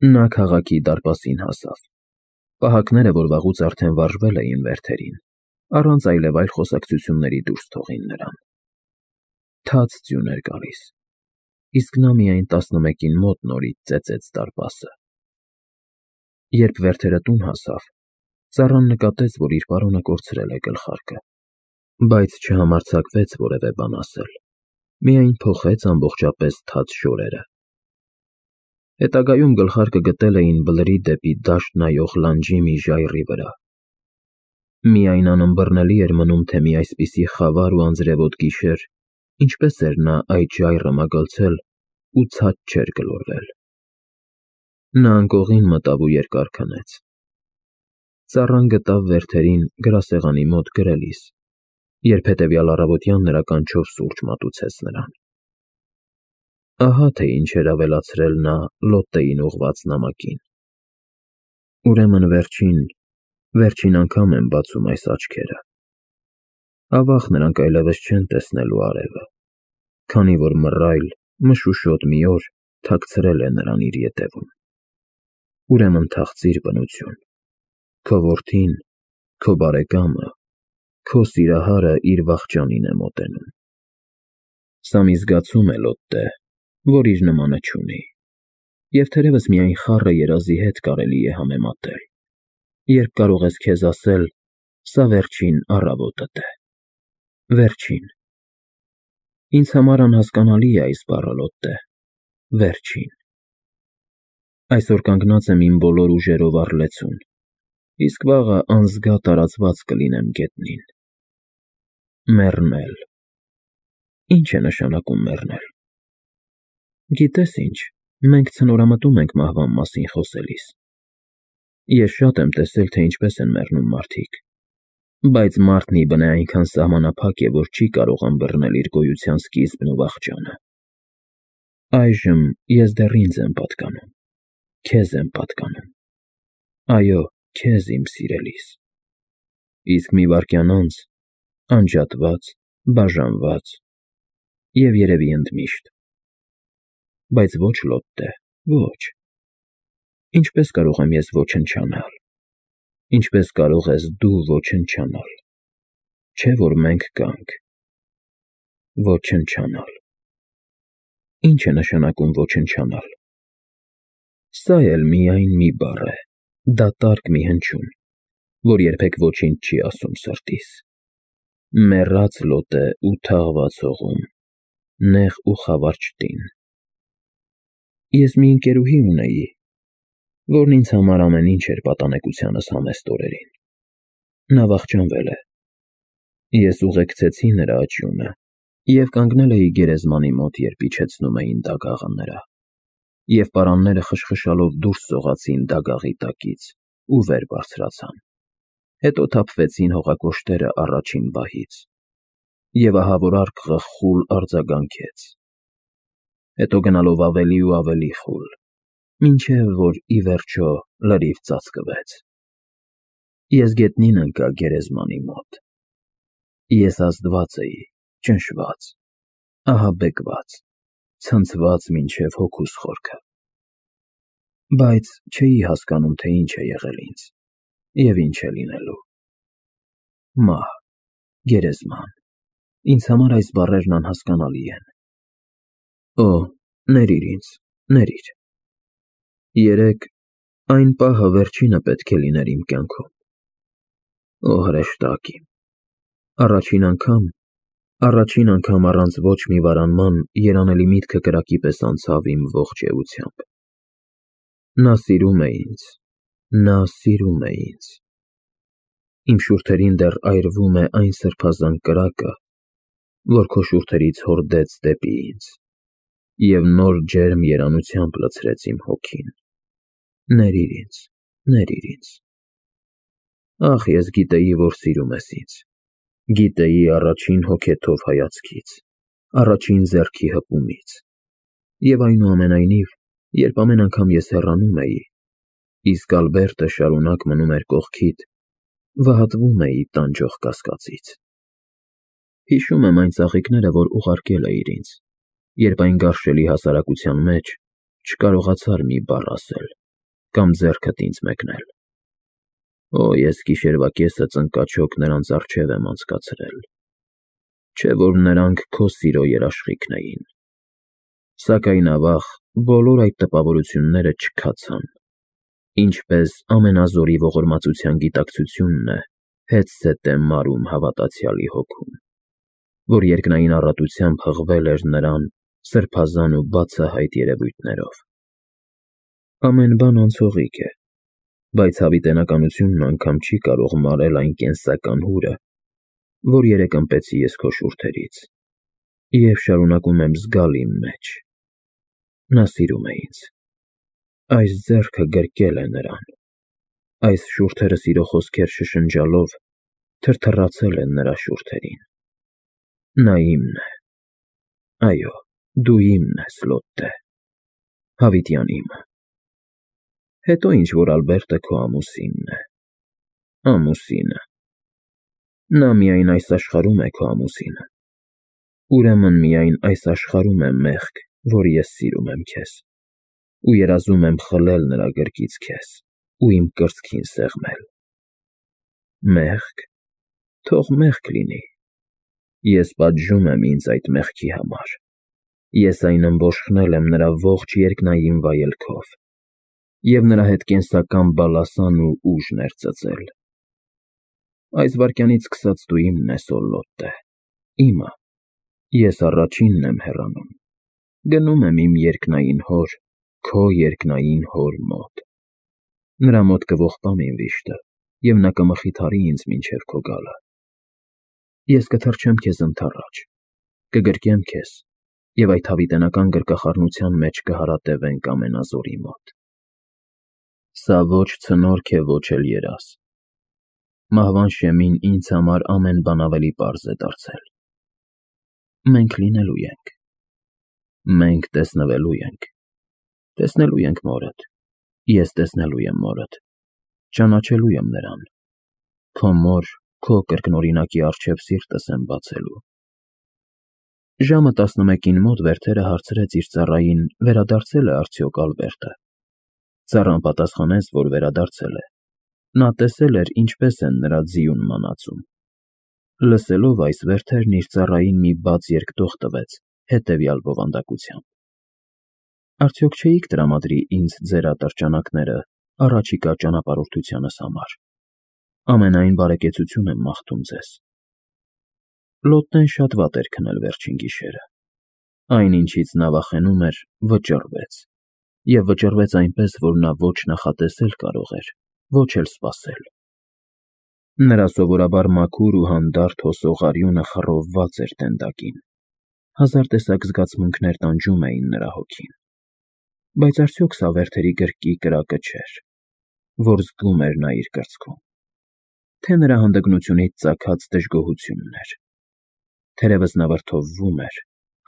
Նա քաղաքի դարպասին հասավ։ Պահակները, որ վաղուց արդեն վարժվել էին վերթերին, առանց այլևայլ խոսակցությունների դուրս թողին նրան։ Թաց ձյուն էր գալիս, իսկ նա միայն 11-ին մոտ նորից ծեծեց դարպասը։ Երբ վերթերը տուն հասավ, ծառան նկատեց, որ իր պարոնը կորցրել է գլխարկը, բայց չհամարձակվեց որևէ բան ասել, միայն փոխեց ամբողջապես թաց շորերը։ Հետագայում գլխարկը գտել էին բլրի դեպի դաշտ նայող լանջի մի ժայռի վրա։ Միայն անըմբռնելի էր մնում, թե մի այսպիսի խավար ու անձրևոտ գիշեր ինչպես էր նա այդ ժայռը մագլցել ու ցած չէր գլորվել։ Նա անկողին մտավ ու երկար քնեց։ Ծառան գտավ վերթերին գրասեղանի մոտ գրելիս, երբ հետևյալ առավոտյան նրա կանչով սուրճ մատուցեց նրան։ Ահա թե ինչ էր ավելացրել նա Լոտտեին ուղղված նամակին։ Ուրեմն վերջին անգամ են բացում այս աչքերը։ Ավաղ նրանք այլևս չեն տեսնելու արևը, քանի որ մռայլ, մշուշոտ մի օր թաքցրել է նրան իր ետևում։ Ուրեմն թախծիր բնություն, քո որդին, քո բարեկամը, քո սիրահարը իր վախճանին է մոտենում։ Սա մի զգացում է, Լոտտե, որ իր նմանը չունի, և թերևս միայն խառը երազի հետ կարելի է համեմատել, երբ կարող ես քեզ ասել. «Սա վերջին առավոտդ է»։ Վերջին։ Ինձ համար անհասկանալի է այս բառը, Լոտտե, վերջին։ Այսօր կանգնած եմ իմ բոլոր ուժերով առլեցուն, իսկ վաղը անզգա տարածված կլինեմ գետնին։ Մեռնել։ Ի՞նչ է նշանակում մեռնել։ Գիտես ինչ, մենք ցնորամտում ենք մահվան մասին խոսելիս։ Ես շատ եմ տեսել, թե ինչպես են մեռնում մարդիկ, բայց մարդն ի բնե այնքան սահմանափակ է, որ չի կարող ըմբռնել իր գոյության սկիզբն ու վախճանը։ Այժմ ես դեռ ինձ եմ պատկանում, քեզ եմ պատկանում։ Այո, քեզ, իմ սիրելիս։ Իսկ մի վայրկյան անց, անջատված, բաժանված և երևի ընդմիշտ։ Բայց ոչ, Լոտտե, ոչ։ Ինչպես կարող եմ ես ոչնչանալ։ Ինչպես կարող ես դու ոչնչանալ։ Չէ՞ որ մենք կանք։ Ոչնչանալ։ Ի՞նչ է նշանակում ոչնչանալ։ Սա էլ միայն մի բառ է, դատարկ մի հնչյուն, որ երբեք ոչինչ չի ասում սրտիս։ Մեռած Լոտտե ու թաղված հողում, նեղ ու խավար տին։ Ես մի ընկերուհի ունեի, որն ինձ համար ամեն ինչ էր պատանեկությանս համեստ օրերին։ Նա վախճանվել է։ Ես ուղեկցեցի նրա աճյունը և կանգնել էի գերեզմանի մոտ, երբ իջեցնում էին դագաղը նրա, և պարանները խշխշալով դուրս սողացին դագաղի տակից ու վեր բարձրացան։ Հետո թափվեցին հողակոշտերը առաջին բահից, և ահա որ արկղը խուլ արձագանքեց, հետո գնալով ավելի ու ավելի խուլ, մինչև որ ի վերջո լրիվ ծածկվեց։ Ես գետնին ընկա գերեզմանի մոտ։ Ես ազդված էի, ճնշված, ահաբեկված, ցնցված մինչև հոգուս խորքը։ Բայց չէի հասկանում, թե ինչ է եղել ինձ և ինչ է լինելու։ Մահ, գերեզման, ինձ համար այս բառերն անհասկանալի են։ Օ, ներիր ինձ, ներիր։ Երեկ այն պահը վերջինը պետք է լիներ իմ կյանքում։ Օ, հրեշտակ իմ, առաջին անգամ առանց ոչ մի վարանման երանելի միտքը կրակի պես անցավ իմ ողջ էությամբ։ Նա սիրում է ինձ, նա սիրում է ինձ։ Իմ շուրթերին դեռ այրվում է այն սրբազան կրակը, որ քո շուրթերից հորդեց դեպի ինձ, և նոր ջերմ երանությամբ լցրեց իմ հոգին։ Ներիր ինձ, ներիր ինձ։ Ախ, ես գիտեի, որ սիրում ես ինձ, գիտեի առաջին հոգեթով հայացքից, առաջին ձեռքի հպումից, և այնուամենայնիվ, երբ ամեն անգամ ես հեռանում էի, իսկ Ալբերտը շարունակ մնում էր կողքիդ, վհատվում էի տանջող կասկածից։ Հիշում եմ այն ծաղիկները, որ ուղարկել էիր ինձ, երբ այն գարշելի հասարակության մեջ չկարողացար մի բառ ասել։ կամ ձեռքդ ինձ մեկնել։ Օ, ես գիշերվա կեսը ծնկաչոք նրանց առջև եմ անցկացրել, չէ որ նրանք քո սիրո երաշխիքն էին։ Սակայն ավաղ բոլոր այդ տպավորությունները չքացան, ինչպես ամենազորի ողորմածության գիտակցությունն է հետզհետե մարում հավատացյալի հոգում, որ երկնային առատությամբ հղվել էր նրան սրբազան ու բացահայտ երևույթներով։ Ամեն բան անցողիկ է, բայց հավիտենականությունն անգամ չի կարող մարել այն կենսական հուրը, որ երեկ ըմպեցի ես քո շուրթերից, և շարունակում եմ զգալ իմ մեջ։ Նա սիրում է ինձ, այս ձեռքը գրկել է նրան, այս շուրթերը սիրո խոսքեր շշնջալով թրթռացել են նրա շուրթերին։ Նա իմն է, այո, դու իմն ես, Լոտտե, հավիտյան իմը։ Հետո ինչ որ Ալբերտը քո ամուսինն է, ամուսինը։ Նա միայն այս աշխարհում է քո ամուսինը, ուրեմն միայն այս աշխարհում է մեղք, որ ես սիրում եմ քեզ, ու երազում եմ խլել նրա գրկից քեզ ու իմ կրծքին սեղմել։ Մեղք, թող մեղք լինի, ես պատժում եմ ինձ այդ մեղքի համար, ես այն ըմբոշխնել եմ նրա ողջ երկնային վայելքով և նրա հետ կենսական բալասան ու ուժ ներծծել։ Այս վայրկյանից սկսած դու իմն ես, օ Լոտտե, իմը, ես առաջինն եմ հեռանում, գնում եմ իմ երկնային հոր, քո երկնային հոր մոտ։ Նրա մոտ կողպամ իմ վիշտը, և նա կմխիթարի ինձ մինչև քո գալը։ Ես կթռչեմ քեզ ընդառաջ, կգրկեմ քեզ, և այդ հավիտենական գրկախառնության մեջ կհարատևենք ամենազորի մոտ։ Սա ոչ ցնորք է, ոչ էլ երազ։ Մահվան շեմին ինձ համար ամեն բան ավելի պարզ է դարձել։ Մենք լինելու ենք։ Մենք տեսնվելու ենք։ Տեսնելու ենք մորդ, ես տեսնելու եմ մորդ, ճանաչելու եմ նրան։ Քո մոր, քո կրկնօրինակի առջև սիրտս եմ բացելու։ Ժամը 11-ին մոտ Վերթերը հարցրեց իր ծառային վերադարձել է արդյոք Ալբերտը։ Ծառան պատասխանեց, որ վերադարձել է։ Նա տեսել էր, ինչպես են նրա ձիուն մանածում։ Լսելով այս, Վերթերն իր ծառային մի բաց երկտող տվեց հետևյալ բովանդակությամբ. Արդյոք չէիք տրամադրի ինձ ձեր ատրճանակները առաջիկա ճանապարհորդությանս համար։ Ամենայն բարեկեցություն եմ մաղթում ձեզ։ Լոտտեն շատ վատ էր քնել վերջին գիշերը։ Այն, ինչից նա վախենում էր, վճռվեց, և վճռվեց այնպես, որ նա ոչ նախատեսել կարող էր, ոչ էլ սպասել։ Նրա սովորաբար մաքուր ու հանդարտ հոսող արյունը խռովված էր տենդակին, հազար տեսակ զգացմունքներ տանջում էին նրա հոգին։ Բայց արդյոք սա Վերթերի գրկի կրակը չէր, որ զգում էր նա իր կրծքում, թե նրա հանդգնությունից ծագած դժգոհությունն էր։ Թերևս նա վրդովվում էր,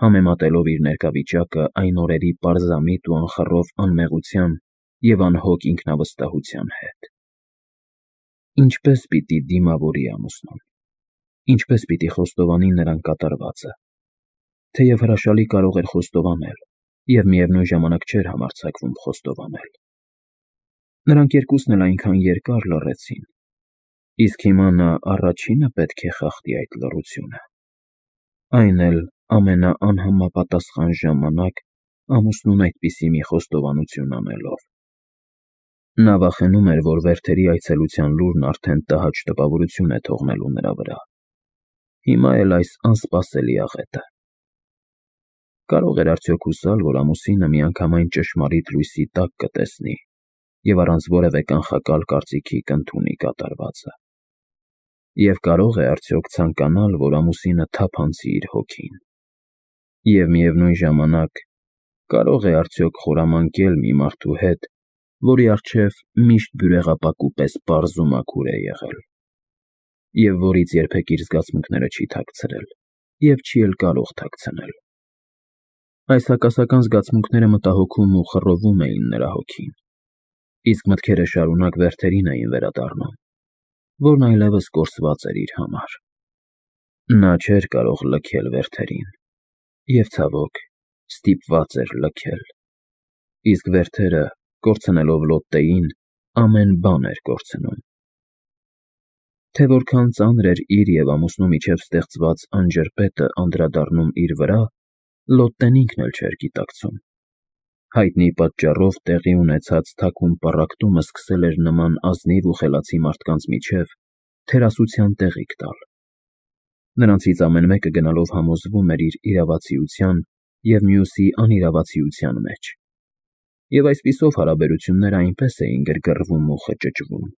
համեմատելով իր ներկա վիճակը այն օրերի պարզամիտ ու անխռով անմեղության և անհոգ ինքնավստահության հետ։ Ինչպե՞ս պիտի դիմավորի ամուսնուն, ինչպե՞ս պիտի խոստովանի նրան կատարվածը, թեև հրաշալի կարող էր խոստովանել և միևնույն ժամանակ չէր համարձակվում խոստովանել։ Նրանք երկուսն էլ այնքան երկար լռեցին, իսկ հիմա նա առաջինը պետք է խախտի այդ լռությունը, այն էլ ամենաանհամապատասխան ժամանակ ամուսնուն այդպիսի մի խոստովանություն անելով։ Նա վախենում էր, որ Վերթերի այցելության լուրն արդեն տհաճ տպավորություն է թողնելու նրա վրա։ Հիմա էլ այս անսպասելի աղետը։ Կարող էր արդյոք հուսալ, որ ամուսինը միանգամայն ճշմարիտ լույսի տակ կտեսնի և առանց որևէ կանխակալ կարծիքի կընդունի կատարվածը։ Եվ կարող է արդյոք ցանկանալ, որ ամուսինը թափանցի իր հոգին։ Եվ միևնույն ժամանակ կարող է արդյոք խորամանկել մի մարդու հետ, որի առջև միշտ բյուրեղապակու պես պարզ ու մաքուր է եղել, և որից երբեք իր զգացմունքները չի թաքցրել և չի էլ կարող թաքցնել։ Այս հակասական զգացմունքները մտահոգում ու խռովում էին նրա հոգին, իսկ մտքերը շարունակ Վերթերին էին վերադառնում, որն այլևս կորսված էր իր համար։ Նա չէր կարող լքել Վերթերին, և ցավոք, ստիպված էր լքել, իսկ Վերթերը կորցնելով Լոտտեին, ամեն բան էր կորցնում։ Թե որքան ծանր էր իր և ամուսնու միջև ստեղծված անջրպետը անդրադառնում իր վրա, Լոտտեն ինքն էլ չէր գիտակցում։ Հայտնի պատճառով տեղի ունեցած թաքուն պառակտումը սկսել էր նման ազնիվ ու խելացի մարդկանց միջև թերասության տեղիք տալ։ Նրանցից ամեն մեկը գնալով համոզվում էր իր իրավացիության և մյուսի անիրավացիության մեջ, և այսպիսով հարաբերությունները այնպես էին գրգռվում ու խճճվում,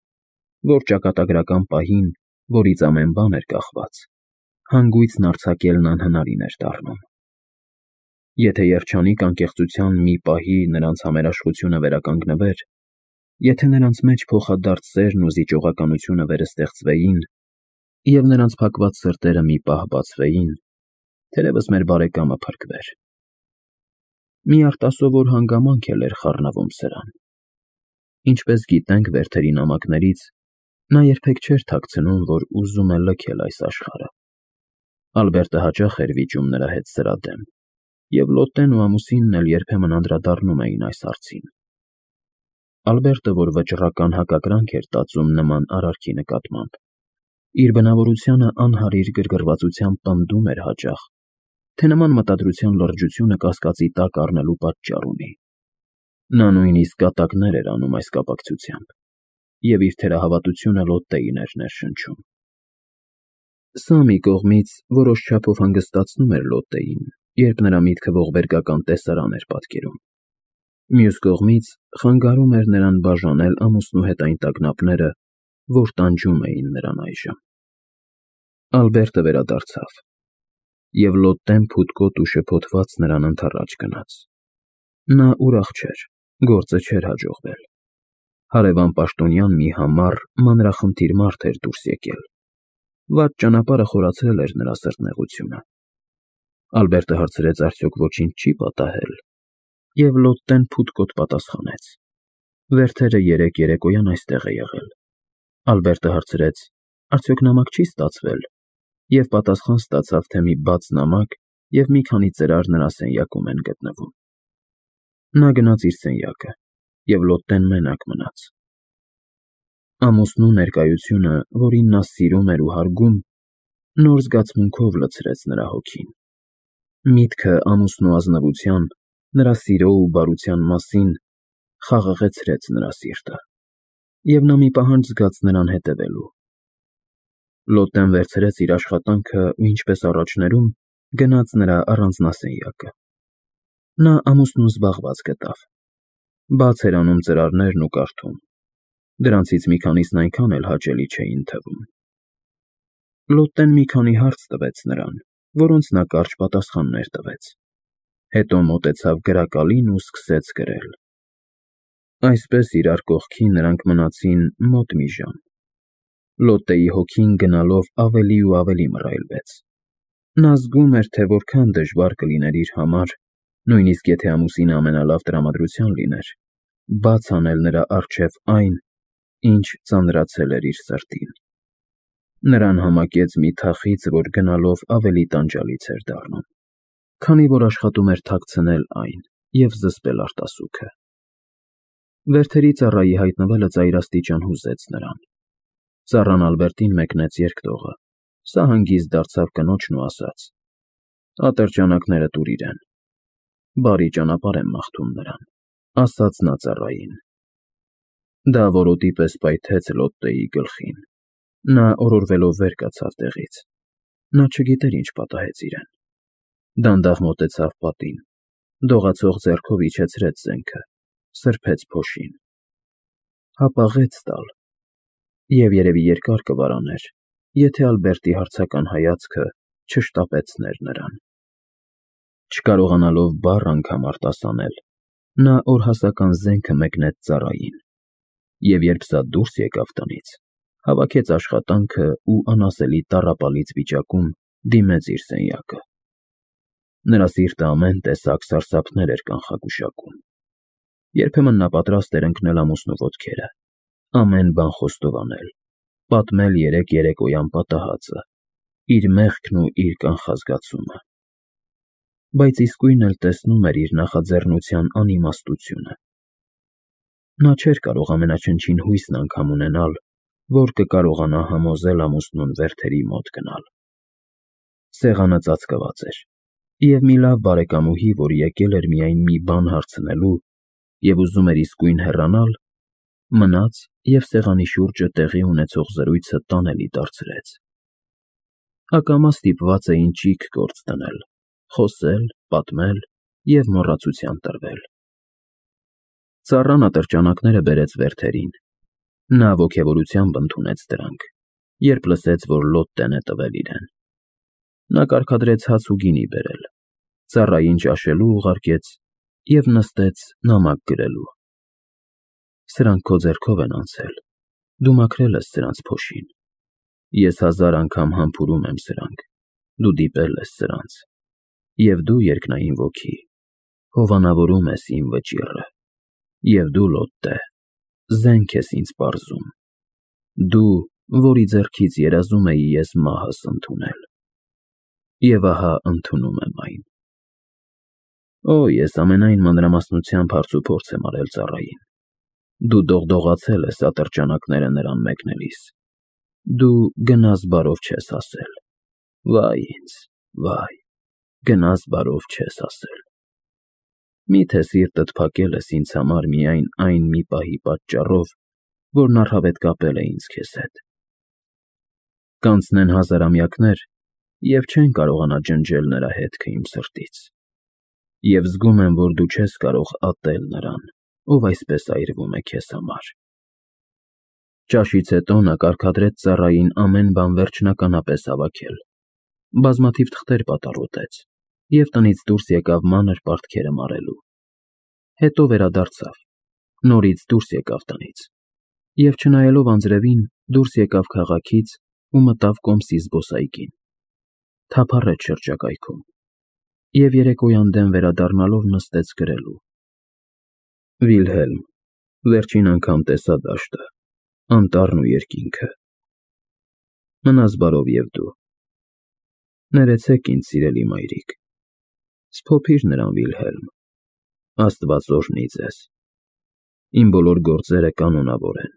որ ճակատագրական պահին, որից ամեն բան էր կախված, հանգույցն արձակելն անհնարին էր դառնում։ Եթե երջանիկ անկեղծության մի պահի նրանց համերաշխությունը վերականգնվեր, եթե նրանց մեջ փոխադարձ սերն ու զիջողականությունը վերստեղծվեին, և նրանց փակված սրտերը մի պահ բացվեին, թերևս մեր բարեկամը փրկվեր։ Մի արտասովոր հանգամանք էլ էր խառնվում սրան։ Ինչպես գիտենք Վերթերի նամակներից, նա երբեք չէր թաքցնում, որ ուզում է լքել այս աշխարհը։ Ալբերտը հաճախ էր վիճում նրա հետ սրա դեմ, և Լոտտեն ու ամուսինն էլ երբեմն անդրադառնում էին այս հարցին։ Ալբերտը, որ վճռական հակակրանք էր տածում նման արարքի նկատմամբ, իր բնավորությանը անհարիր գրգռվածությամբ պնդում էր հաճախ, թե նման մտադրության լրջությունը կասկածի տակ առնելու պատճառ ունի։ Նա նույնիսկ կատակներ էր անում այս կապակցությամբ, և իր թերահավատությունը Լոտտեին էր ներշնչում։ Սա մի կողմից որոշ չափով հանգստացնում էր Լոտտեին, երբ նրա միտքը ողբերգական տեսարան էր պատկերում։ Մյուս կողմից խանգարում էր նրան բաժանել ամուսնու հետ այն տագնապները, որ տանջում էին նրան այժմ։ Ալբերտը վերադարձավ, և Լոտտեն փութկոտ ու շփոթված նրան ընդառաջ գնաց։ Նա ուրախ չէր, գործը չէր հաջողվել։ Հարևան պաշտոնյան մի համառ, մանրախնդիր մարդ էր դուրս եկել։ Վատ ճանապարհը խորացրել էր նրա սրտնեղությունը։ Ալբերտը հարցրեց արդյոք ոչինչ չի պատահել, և Լոտտեն փութկոտ պատասխանեց. Վերթերը երեկ երեկոյան այստեղ է եղել։ Ալբերտը հարցրեց. արդյոք նամակ չի ստացվել, և պատասխան ստացավ, թե մի բաց նամակ և մի քանի ծրար նրա սենյակում են գտնվում։ Նա գնաց իր սենյակը, և Լոտտեն մենակ մնաց։ Ամուսնու ներկայությունը, որին նա սիրում էր ու հարգում, նոր զգացմունքով լցրեց նրա հոգին։ Միտքը ամուսնու ազնվության, նրա սիրո ու բարության մասին խաղաղեցրեց նրա սիրտը, և նա մի պահանջ զգաց նրան հետևելու։ Լոտտեն վերցրեց իր աշխատանքը ու ինչպես առաջներում, գնաց նրա առանձնասենյակը։ Նա ամուսնուն զբաղված գտավ։ Բաց էր անում ծրարներն ու կարդում։ Դրանցից մի քանիսն այնքան էլ հաճելի չէին թվում։ Լոտտեն մի քանի հարց տվեց նրան, որոնց նա կարճ պատասխաններ տվեց։ Հետո մոտեցավ գրակալին ու սկսեց գրել։ Այսպես իրար կողքի նրանք մնացին մոտ մի ժամ։ Լոտտեի հոգին գնալով ավելի ու ավելի մռայլվեց։ Նա զգում էր, թե որքան դժվար կլիներ իր համար, նույնիսկ եթե ամուսինը ամենալավ տրամադրության լիներ, բաց անել նրա առջև այն, ինչ ծանրացել էր իր սրտին։ Նրան համակեց մի թախիծ, որ գնալով ավելի տանջալից էր դառնում, քանի որ աշխատում էր թաքցնել այն և զսպել արտասուքը։ Վերթերի ծառայի հայտնվելը ծայրաստիճան հուզեց նրան։ Ծառան Ալբերտին մեկնեց երկտողը, սա հանգիստ դարձավ կնոջն ու ասաց. «Ատրճանակները տուր իրեն»։ Բարի ճանապարհ եմ մաղթում նրան, ասաց նա ծառային։ Դա որոտի պես պայթեց Լոտտեի գլխին։ Նա օրորվելով վեր կացավ տեղից։ Նա չգիտեր ինչ պատահեց իրեն։ Դանդաղ մոտեցավ պատին, դողացող ձեռքով իջեցրեց զենքը, սրբեց փոշին։ Հապաղեց տալ, և երևի երկար կվարաներ, եթե Ալբերտի հարցական հայացքը չշտապեցներ նրան։ Չկարողանալով բառ անգամ արտասանել, նա օրհասական զենքը մեկնեց ծառային, և երբ սա դուրս եկավ տնից, հավաքեց աշխատանքը ու անասելի տառապալից վիճակում դիմեց իր սենյակը։ Նրա սիրտը ամեն տեսակ սարսափներ էր կանխագուշակում։ Երբեմն նա պատրաստ էր ընկնել ամուսնու ոտքերը, ամեն բան խոստովանել, պատմել երեկոյան պատահածը, իր մեղքն ու իր կանխազգացումը։ Բայց իսկույն էլ տեսնում էր իր նախաձեռնության անիմաստությունը։ Նա չէր կարող ամենաչնչին հույսն անգամ ունենալ, որ կկարողանա համոզել ամուսնուն Վերթերի մոտ գնալ։ Սեղանը ծածկված էր, և մի լավ բարեկամուհի, որ եկել էր միայն մի բան հարցնելու և ուզում էր իսկույն հեռանալ, մնաց և սեղանի շուրջը տեղի ունեցող զրույցը տանելի դարձրեց։ Ակամա ստիպված էին ճիգ գործ դնել, խոսել, պատմել և մոռացության տրվել։ Ծառան ատրճանակները բերեց Վերթերին։ Նա ոգևորությամբ ընդունեց դրանք, երբ լսեց, որ Լոտտեն է տվել իրեն։ Նա կարգադրեց հաց ու գինի բերել, ծառային ճաշելու ուղարկեց և նստեց նամակ գրելու։ Սրանք քո ձեռքով են անցել, դու մաքրել ես սրանց փոշին։ Ես 1000 անգամ համբուրում եմ սրանք, դու դիպել ես սրանց, և դու, երկնային ոգի, հովանավորում ես իմ վճիռը, և դու, Լոտտե, զենք ես ինձ պարզում, դու, որի ձեռքից երազում էի ես մահս ընդունել։ Եվ ահա ընդունում եմ այն։ Օ, ես ամենայն մանրամասնությամբ հարցուփորձ եմ արել ծառային։ Դու դողդողացել ես ատրճանակները նրան մեկնելիս։ Դու գնաս բարով չես ասել։ Վայ ինձ, վայ, գնաս բարով չես ասել։ Մի՞թե սիրտդ փակել ես ինձ համար միայն այն մի պահի պատճառով, որն առհավետ կապել է ինձ քեզ հետ։ Կանցնեն հազարամյակներ, և չեն կարողանա ջնջել նրա հետքը իմ սրտից։ Եվ զգում եմ, որ դու չես կարող ատել նրան, ով այսպես այրվում է քեզ համար։ Ճաշից հետո նա կարգադրեց ծառային ամեն բան վերջնականապես հավաքել, բազմաթիվ թղթեր պատառոտեց և տնից դուրս եկավ մանր պարտքերը մարելու։ Հետո վերադարձավ, նորից դուրս եկավ տնից և, չնայելով անձրևին, դուրս եկավ քաղաքից ու մտավ կոմսի զբոսայգին, թափառեց շրջակայքում և երեկոյան դեմ վերադառնալով նստեց գրելու. Վիլհելմ, վերջին անգամ տեսա դաշտը, անտառն ու երկինքը։ Մնաս բարով և դու։ Ներեցեք ինձ, սիրելի մայրիկ։ Սփոփիր նրան, Վիլհելմ, Աստված օրհնի ձեզ։ Իմ բոլոր գործերը կանոնավոր են,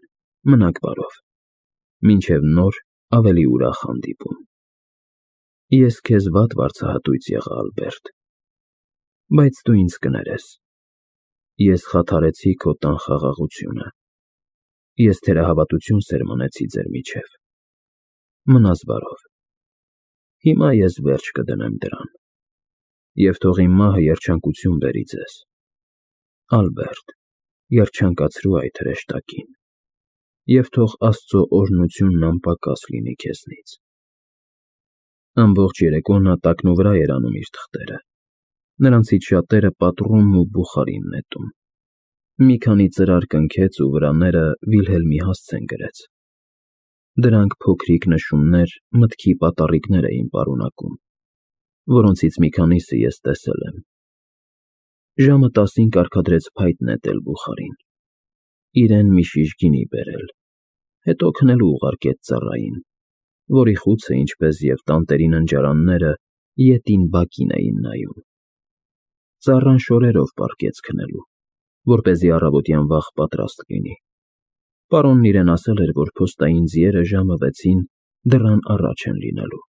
մնաք բարով։ Մինչև նոր ավելի ուրախ հանդիպում։ Ես քեզ վատ վարձահատույց եղա, Ալբերտ, բայց դու ինձ կներես։ Ես խաթարեցի քո տան խաղաղությունը։ Ես թերահավատություն սերմանեցի ձեր միջև։ Մնաս բարով։ Հիմա ես վերջ կդնեմ դրան։ Եվ թող իմ մահը երջանկություն բերի ձեզ։ Ալբերտ, երջանկացրու այդ հրեշտակին, և թող Աստծո օրհնությունն անպակաս լինի քեզնից։ Ամբողջ երեկո նա տակնուվրա էր անում իր թղթերը։ Նրանցից շատերը պատռում ու բուխարին նետում։ Մի քանի ծրար կնքեց ու վրաները Վիլհելմի հասցեն գրեց։ Դրանք փոքրիկ նշումներ, մտքի պատառիկներ էին պարունակում, որոնցից մի քանիսը ես տեսել եմ։ Ժամը 10-ին կարգադրեց փայտ նետել բուխարին, իրեն մի շիշ գինի բերել, հետո քնելու ուղարկեց ծառային, որի խուցը, ինչպես և տանտերի ննջարանները, ետին բակին էին նայում։ Ծառան շորերով պառկեց քնելու, որպեսզի առավոտյան վաղ պատրաստ լինի։ Պարոնն իրեն ասել էր, որ փոստային ձիերը ժամը 6-ին դռան առաջ են լինելու։